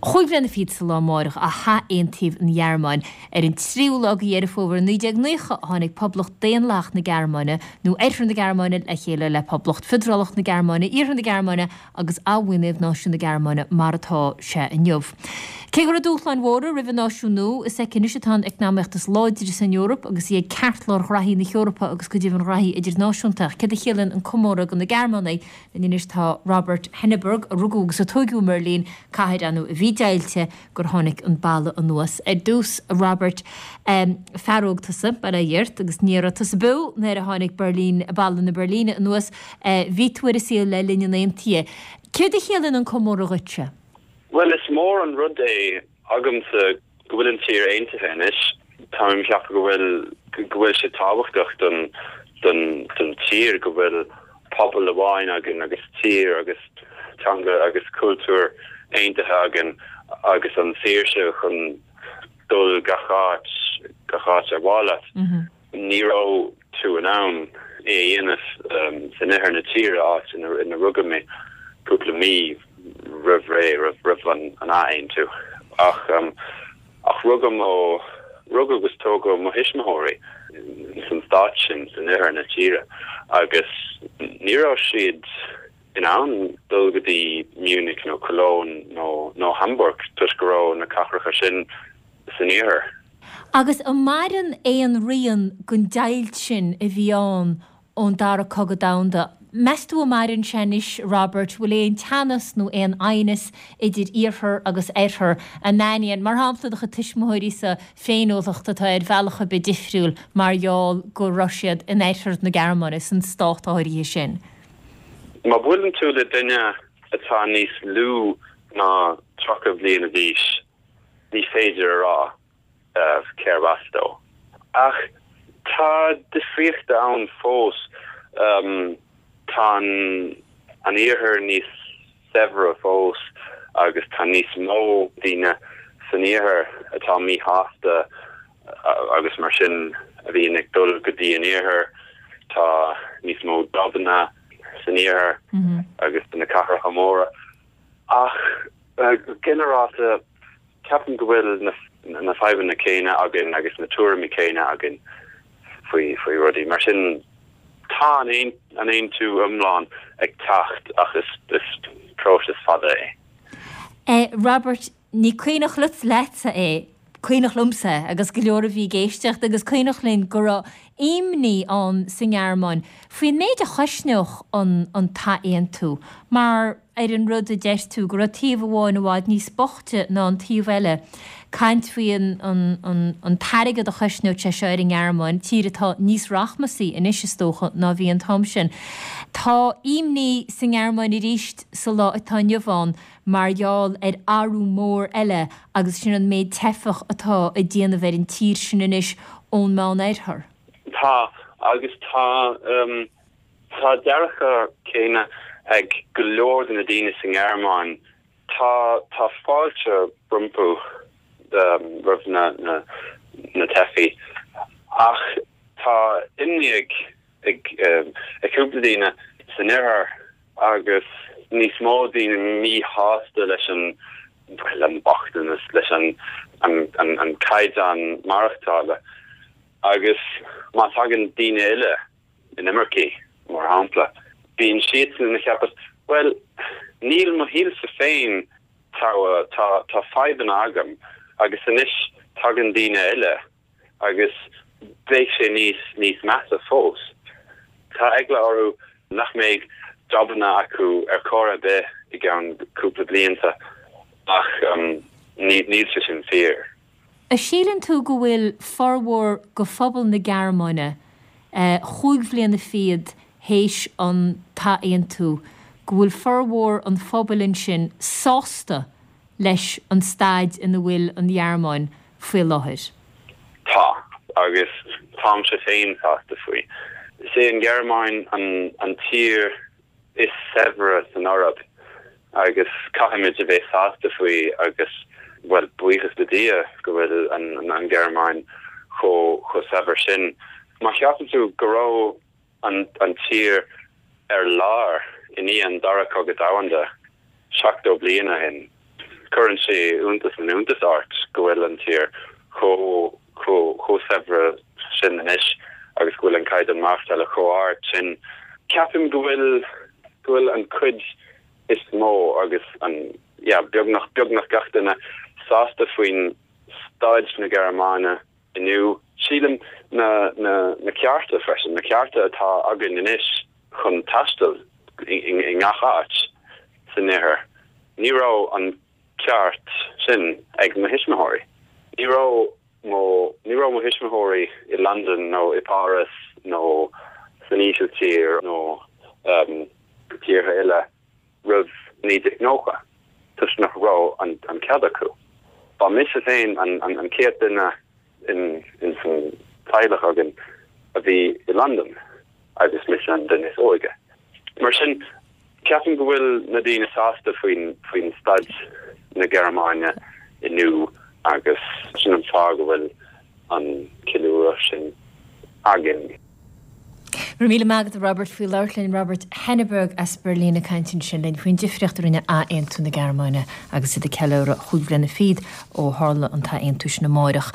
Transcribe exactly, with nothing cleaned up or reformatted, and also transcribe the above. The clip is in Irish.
Chúig bhliana fichead sa lá amárach a hathaontaíodh an Ghearmáin. Ar an tríú lá de Dheireadh Fómhair naoi déag naocha a tháinig Poblacht Daonlathach na Gearmáine, nó Oirthear na Gearmáine, le chéile le Poblacht Fiodralach na Gearmáine, Iarthar na Gearmáine, agus athbhunaíodh náisiún na Gearmáine mar atá sé inniu. Cé go raibh dúshláin mhóra roimh an náisiún nua, is aici anois atá an eacnamaíocht is láidre san Eoraip agus í ag ceartlár ghraithí na hEorpa agus go deimhin ghraithí idirnáisiúnta. Céard a chiallaíonn an comóradh do na Gearmánaigh? Linn anois tá Robert Henneberg, a rugadh agus a tógadh i mBeirlín, cathair ar ndóigh a bhí deighilte gur tháinig an balla anuas. Ar dtús, a Robert, fear óg tusa, bail ó Dhia ort, agus ní raibh tusa beo nuair a tháinig Berlin, balla na Beirlíne anuas. Bhí tú ar an saol le linn an aontaithe. Céard a chiallaíonn an comóradh dhuitse? Bhuel, is mór an rud é agamsa go bhfuil an tír aontaithe anois. Táim ag ceapadh go bhfuil go bhfuil sé tábhachtach don don don tír go bhfuil pobal amháin againn agus tír agus teanga agus cultúr aontaithe againn agus an saoirse chun dul gach áit gach áit ar mhaith leat. Ní raibh tú in ann é a dhéanamh san oirthear na tíre, áit ina rugadh mé cúpla mí roimh ré, roimh an athaontú. Ach ach rugadh mo rugadh agus tógadh mo thuismitheoirí san stát sin san oirthear na tíre agus ní raibh siad in ann dul go dtí Munich nó Cologne nó nó Hamburg toisc go raibh na cathracha sin san iarthar. Agus an maireann aon rian den deighilt sin a bhí ann ón Dara Cogadh Domhanda? Meas tú an maireann sé anois, Robert, bhfuil aon teannas nó aon aighneas idir iarthar agus oirthear? An aithníonn, mar shampla, do chuid tuismitheoirí-sa féiniúlacht atá ar bhealach ar bith difriúil mar gheall go raibh siad in oirthear na Gearmáine, san stát áirithe sin? Má bhuaileann tú le duine atá níos lú ná tríocha bliain d'aois, ní féidir a rá cérbh as dó. Ach tá difríochta ann fós. Tá an iarthar níos saibhre fós agus tá níos mó daoine san iarthar atá míshásta agus mar sin a bhíonn ag dul go dtí an iarthar. Tá níos mó jabanna san iarthar agus na cathracha móra. Ach go ginearálta ceapaim go bhfuil na na fadhbanna céanna againn agus na tuairimí céanna againn faoi faoi rudaí. Mar sin tá an an aontú iomlán ag teacht ach is is próiseas fada é. Eh, Robert, ní cuimhneach leatsa é, cuimhneach liomsa agus go leor a bhí ag éisteacht agus cuimhneach linn go raibh imní ann sa nGearmáin faoin méid a chosnódh an an t-aontú mar ar an rud a deir tú go raibh taobh amháin i bhfad níos boichte ná an taobh eile. Caint faoi an an an an t-airgead a chosnódh sé seo ar an nGearmáin, tír atá níos rachmasaí anois is dócha ná bhí an t-am sin. Tá imní sa nGearmáin arís sa lá atá inniu ann mar gheall ar athrú mór eile agus sin an méid teifeach atá ag déanamh ar an tír sin anois ón Meánoirthear. Tá agus tá um, tá dearcadh céanna ag go leor de na daoine sa nGearmáin. Tá tá fáilte rompu um, roimh na, na, na teifigh ach tá imní ag ag um, ag cúpla daoine san oirthear agus níos mó daoine míshásta leis an an bochtanas leis an an, an, an caighdeán maireachtála agus má tagann daoine eile inimircigh mar shampla bíonn siadsan ag ceapadh well níl mo shaolsa féin tá tá tá fadhbanna agam agus anois tagann daoine eile agus beidh sé níos níos measa fós. Tá eagla orthu nach mbeidh jabanna acu ar chor ar bith i gceann cúpla blianta ach um, níl sé sin fíor. A síleann tú go bhfuil formhór go phobal na Gearmáine eh, chúig bhliana fichead théis an t-aontú, go bhfuil formhór an phobail ansin sásta leis an staid ina bhfuil an Ghearmáin faoi láthair. Tá agus táimse féin sásta faoi. Is é an Ghearmáin an, an tír is saibhre san Eoraip agus caithfimid a bheith sásta faoi agus well buíochas le Dia go bhfuil an, an, an Ghearmáin chomh chomh saibhir sin. Má cheapann tú go raibh an, an tír ar lár i ndiaidh an dara cogadh domhanda seachtó bliain ó shin. Cuireann sé iontas an iontas ort go bhfuil an tír chomh chomh saibhir sin anois agus go bhfuil an caighdeán maireachtála chomh hard sin. Ceapaim go bhfuil go bhfuil an cuid is mó agus an yeah, beagnach beagnach gach duine sásta faoin staid na Gearmáine inniu. Sílim na na na cearta freisin, na cearta atá againn anois chun taisteal i ngach áit san oirthear. Ní raibh an ceart sin ag mo thuismitheoirí. Ní raibh mo ní raibh mo thuismitheoirí i London nó i Paris nó san Ísiltír nó um, tíortha eile roimh naoi déag nócha toisc nach raibh an, an cead acu. Ba mise féin an, an, an chéad duine in, in san teaghlach againn a bhí i London agus mise an duine is óige. Mar sin ceapaim go bhfuil na daoine sásta faoin faoin staid na Gearmáine inniu agus sin an fáth go bhfuil an ceiliúradh sin againn. Míle maith agat Robert faoi labhairt linn Robert Henneberg as Berlin ag caint ansin linn faoin difríocht a rinne athaontú na Gearmáine agus iad ag ceiliúradh chúig bliana fichead ó tharla an t-aontú sin amárach.